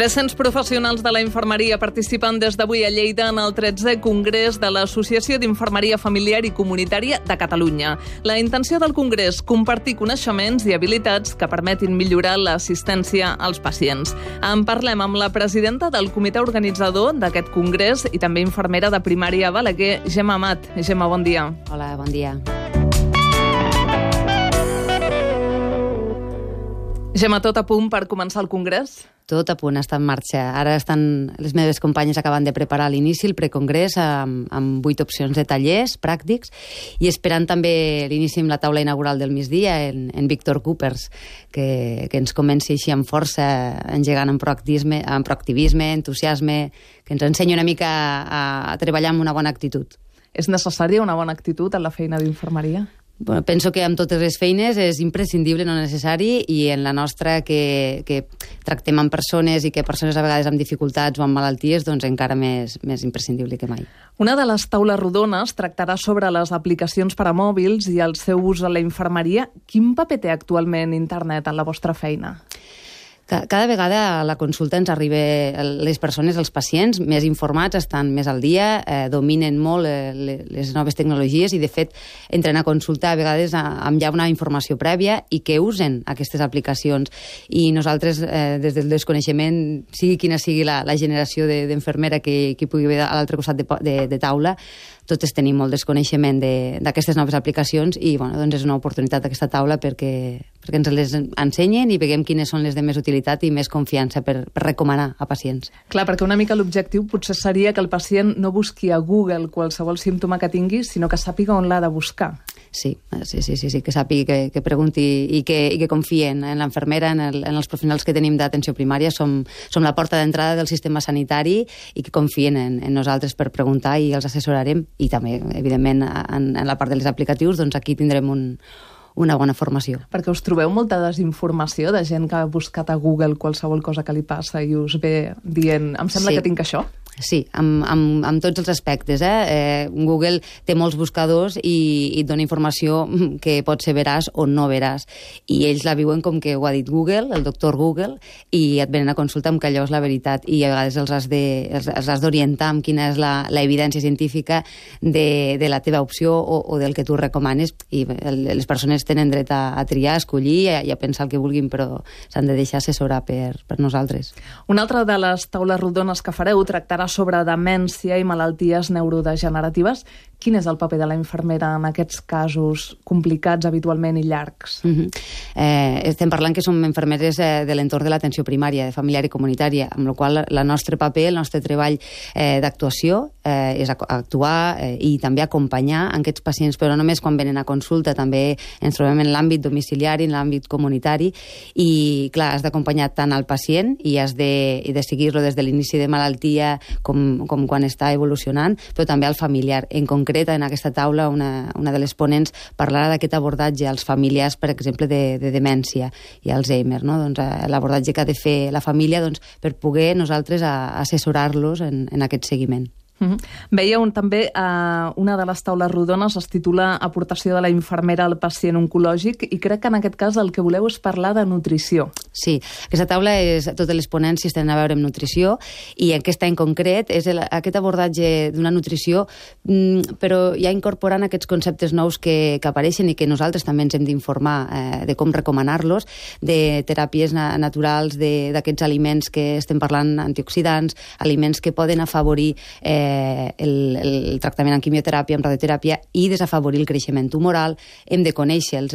300 professionals de la infermeria participen des d'avui a Lleida en el 13è Congrés de l'Associació d'Infermeria Familiar i Comunitària de Catalunya. La intenció del congrés, compartir coneixements i habilitats que permetin millorar l'assistència als pacients. En parlem amb la presidenta del comitè organitzador d'aquest congrés i també infermera de primària a Balaguer, Gemma Amat. Gemma, bon dia. Hola, bon dia. Gemma, tot a punt per començar el congrés? Tot a punt, està en marxa. Ara estan les meves companyes acabant de preparar l'inici, el precongrés, amb 8 opcions de tallers pràctics i esperant també l'inici amb la taula inaugural del migdia en Víctor Coopers, que ens comenci així amb força, engegant amb proactivisme, entusiasme, que ens ensenyi una mica a treballar amb una bona actitud. És necessària una bona actitud en la feina d'infermeria? Bueno, penso que amb totes les feines és imprescindible, no necessari, i en la nostra que tractem amb persones i que persones a vegades amb dificultats o amb malalties, doncs encara més imprescindible que mai. Una de les taules rodones tractarà sobre les aplicacions per a mòbils i el seu ús a la infermeria. Quin paper té actualment internet en la vostra feina? Cada vegada a la consulta ens arriben les persones, els pacients, més informats, estan més al dia, dominen molt les noves tecnologies i, de fet, entren a consulta a vegades amb ja una informació prèvia i que usen aquestes aplicacions. I nosaltres, des del desconeixement, sigui quina sigui la generació d'enfermera que pugui haver a l'altre costat de taula, totes tenim molt desconeixement d'aquestes noves aplicacions i doncs és una oportunitat aquesta taula perquè ens les ensenyen i veiem quines són les de més utilitat i més confiança per recomanar a pacients. Clar, perquè una mica l'objectiu potser seria que el pacient no busqui a Google qualsevol símptoma que tingui, sinó que sàpiga on l'ha de buscar. Sí, que sàpiga, que pregunti i que confien en l'enfermera, en els professionals que tenim d'atenció primària. Som la porta d'entrada del sistema sanitari i que confien en nosaltres per preguntar i els assessorarem. I també, evidentment, en la part dels aplicatius, doncs aquí tindrem una bona formació. Perquè us trobeu molta desinformació de gent que ha buscat a Google qualsevol cosa que li passa i us ve dient, em sembla que tinc això? Sí, amb tots els aspectes. Google té molts buscadors i et dona informació que pot ser veraç o no veraç. I ells la viuen com que ho ha dit Google, el doctor Google, i et venen a consultar amb que allò és la veritat. I a vegades els has d'orientar amb quina és la evidència científica de la teva opció o del que tu recomanes. I les persones tenen dret a triar, a escollir i a pensar el que vulguin, però s'han de deixar assessorar per nosaltres. Una altra de les taules rodones que fareu tractarà sobre demència i malalties neurodegeneratives. Quin és el paper de la infermera en aquests casos complicats habitualment i llargs? Estem parlant que som infermeres de l'entorn de l'atenció primària, de familiar i comunitària, amb la qual el nostre paper, el nostre treball d'actuació és actuar i també acompanyar aquests pacients, però no només quan venen a consulta, també ens trobem en l'àmbit domiciliari, en l'àmbit comunitari, i clar, has d'acompanyar tant al pacient i has de seguir-lo des de l'inici de malaltia com quan està evolucionant, però també al familiar. En concret, en aquesta taula, una de les ponents parlarà d'aquest abordatge als familiars, per exemple, de demència i Alzheimer, no? Doncs l'abordatge que ha de fer la família per poder nosaltres assessorar-los en aquest seguiment. Veieu també una de les taules rodones es titula Aportació de la infermera al pacient oncològic i crec que en aquest cas el que voleu és parlar de nutrició. Sí, aquesta taula totes les ponències tenen a veure amb nutrició i aquesta en concret és aquest abordatge d'una nutrició, però ja incorporant aquests conceptes nous que apareixen i que nosaltres també ens hem d'informar de com recomanar-los, de teràpies naturals, d'aquests aliments que estem parlant, antioxidants, aliments que poden afavorir el tractament amb quimioteràpia, amb radioteràpia i desafavorir el creixement tumoral. Hem de conèixer-los.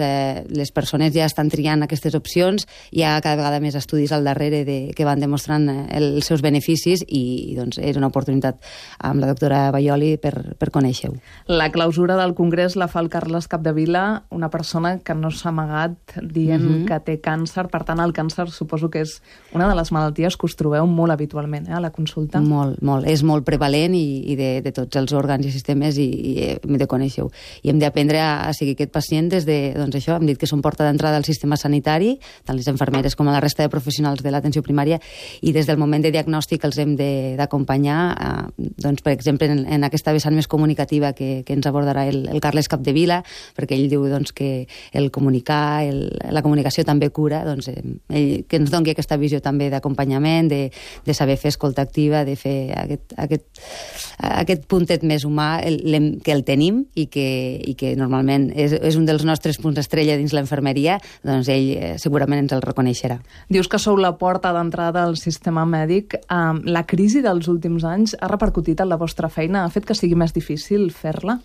Les persones ja estan triant aquestes opcions, hi ha cada vegada més estudis al darrere que van demostrant els seus beneficis i doncs és una oportunitat amb la doctora Baioli per conèixer-ho. La clausura del congrés la fa el Carles Capdevila, una persona que no s'ha amagat dient que té càncer. Per tant, el càncer suposo que és una de les malalties que us trobeu molt habitualment a la consulta. Molt. És molt prevalent i de tots els òrgans i sistemes i hem de conèixer-ho. I hem d'aprendre a seguir aquest pacient des de, doncs això, hem dit que som porta d'entrada al sistema sanitari, tant les infermeres nosaltres com a la resta de professionals de l'atenció primària, i des del moment de diagnòstic els hem d'acompanyar, doncs, per exemple, en aquesta vessant més comunicativa que ens abordarà el Carles Capdevila, perquè ell diu doncs, que el comunicar, la comunicació també cura, doncs, ell, que ens doni aquesta visió també d'acompanyament, de saber fer escolta activa, de fer aquest puntet més humà que el tenim i que normalment és un dels nostres punts estrella dins l'infermeria, doncs ell segurament ens el reconeixerà. Dius que sou la porta d'entrada al sistema mèdic. La crisi dels últims anys ha repercutit en la vostra feina? Ha fet que sigui més difícil fer-la?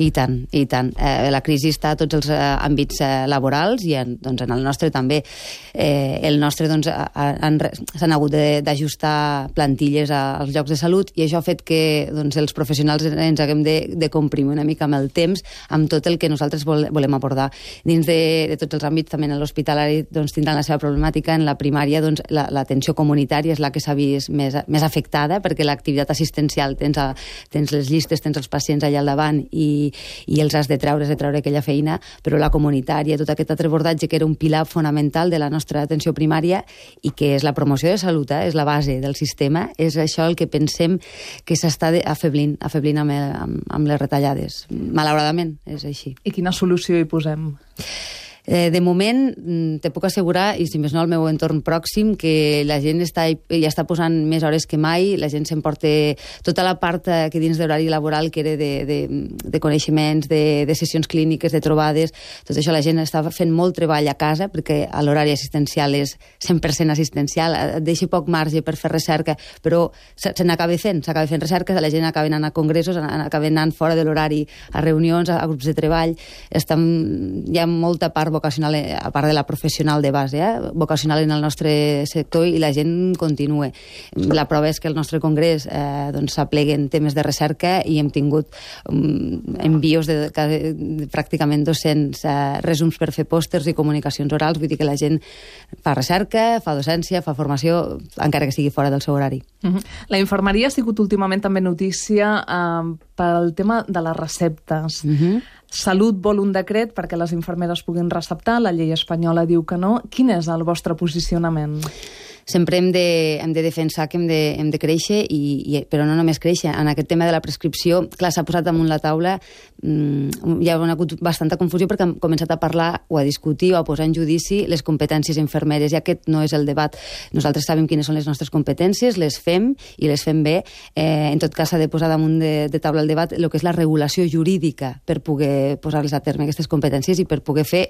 I tant, i tant. La crisi està a tots els àmbits laborals i doncs, en el nostre també. El nostre doncs, s'han hagut d'ajustar plantilles als llocs de salut i això ha fet que doncs, els professionals ens haguem de comprimir una mica amb el temps, amb tot el que nosaltres volem abordar. Dins de tots els àmbits, també en l'hospitalari doncs, tindran la seva problemàtica. En la primària doncs, l'atenció comunitària és la que s'ha vist més afectada, perquè l'activitat assistencial tens les llistes, tens els pacients allà al davant i els has de treure aquella feina, però la comunitària, tot aquest altre abordatge que era un pilar fonamental de la nostra atenció primària i que és la promoció de salut, és la base del sistema, és això el que pensem que s'està afeblint amb les retallades. Malauradament, és així. I quina solució hi posem? De moment, te puc assegurar, i si més no al meu entorn pròxim, que la gent ja està posant més hores que mai, la gent s'emporta tota la part que dins de l'horari laboral que era de coneixements, de sessions clíniques, de trobades, tot això la gent està fent molt treball a casa perquè l'horari assistencial és 100% assistencial, et deixa poc marge per fer recerca, però se n'acaba fent recerca, la gent acaba anant a congressos, acaba anant fora de l'horari a reunions, a grups de treball, hi ha molta part vocacional, a part de la professional de base, vocacional en el nostre sector, i la gent continua. La prova és que el nostre congrés doncs, s'aplega en temes de recerca i hem tingut envios de pràcticament 200 resums per fer pòsters i comunicacions orals, vull dir que la gent fa recerca, fa docència, fa formació, encara que sigui fora del seu horari. La infermeria ha sigut últimament també notícia pel tema de les receptes. Salut vol un decret perquè les infermeres puguin receptar, la llei espanyola diu que no. Quin és el vostre posicionament? Sempre hem de defensar que hem de créixer, però no només créixer. En aquest tema de la prescripció, clar, s'ha posat damunt la taula, hi ha hagut bastanta confusió perquè hem començat a parlar o a discutir o a posar en judici les competències infermeres, i aquest no és el debat. Nosaltres sabem quines són les nostres competències, les fem i les fem bé. En tot cas, s'ha de posar damunt de taula el debat el que és la regulació jurídica per poder posar-les a terme aquestes competències i per poder fer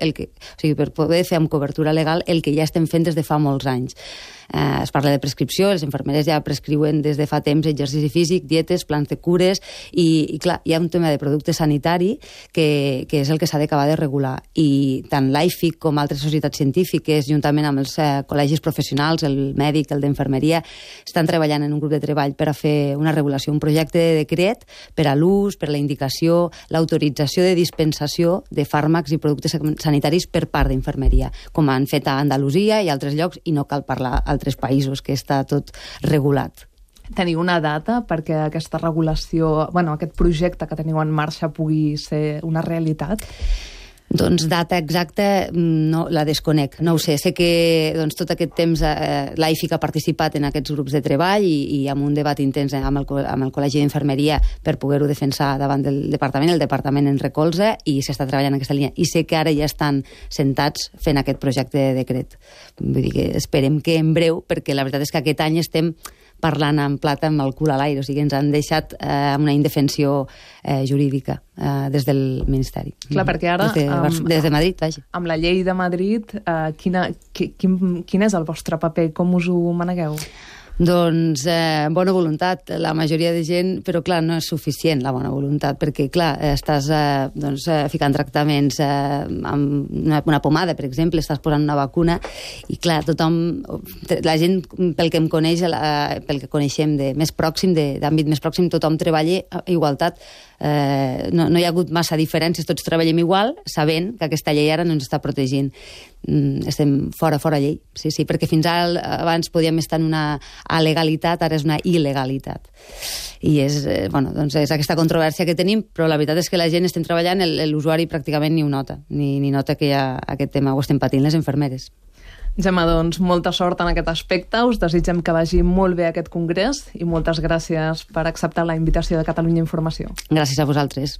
per poder fer amb cobertura legal el que ja estem fent des de fa molts anys. Es parla de prescripció, les infermeres ja prescriuen des de fa temps exercici físic, dietes, plans de cures, i clar, hi ha un tema de producte sanitari que és el que s'ha d'acabar de regular, i tant l'AIFIC com altres societats científiques, juntament amb els col·legis professionals, el mèdic, el d'infermeria, estan treballant en un grup de treball per a fer una regulació, un projecte de decret per a l'ús, per a la indicació, l'autorització de dispensació de fàrmacs i productes sanitaris per part d'infermeria, com han fet a Andalusia i altres llocs, i no cal parlar altres països, que està tot regulat. Teniu una data perquè aquesta regulació, aquest projecte que teniu en marxa pugui ser una realitat? Doncs data exacta no la desconec, no ho sé. Sé que tot aquest temps l'AIFIC ha participat en aquests grups de treball i amb un debat intens amb el Col·legi d'Infermeria per poder-ho defensar davant del departament. El departament en recolza i s'està treballant en aquesta línia. I sé que ara ja estan sentats fent aquest projecte de decret. Vull dir que esperem que en breu, perquè la veritat és que aquest any estem parlant en plata amb el cul a l'aire, o sigui, ens han deixat amb una indefensió jurídica des del Ministeri. Clar, perquè ara... Des de Madrid, vaja. Amb la llei de Madrid, quin és el vostre paper? Com us ho manegueu? Doncs bona voluntat, la majoria de gent, però clar, no és suficient la bona voluntat, perquè clar, estàs ficant tractaments amb una pomada, per exemple, estàs posant una vacuna, i clar, tothom, la gent, pel que em coneix, pel que coneixem de més pròxim, d'àmbit més pròxim, tothom treballa a igualtat. No hi ha hagut massa diferències, tots treballem igual, sabent que aquesta llei ara no ens està protegint. Estem fora llei, sí, perquè fins ara abans podíem estar en una alegalitat, ara és una il·legalitat. I és aquesta controvèrsia que tenim, però la veritat és que la gent estem treballant, l'usuari pràcticament ni ho nota, ni nota que hi ha aquest tema, ho estem patint les infermeres. Gemma, doncs, molta sort en aquest aspecte. Us desitgem que vagi molt bé aquest congrés i moltes gràcies per acceptar la invitació de Catalunya Informació. Gràcies a vosaltres.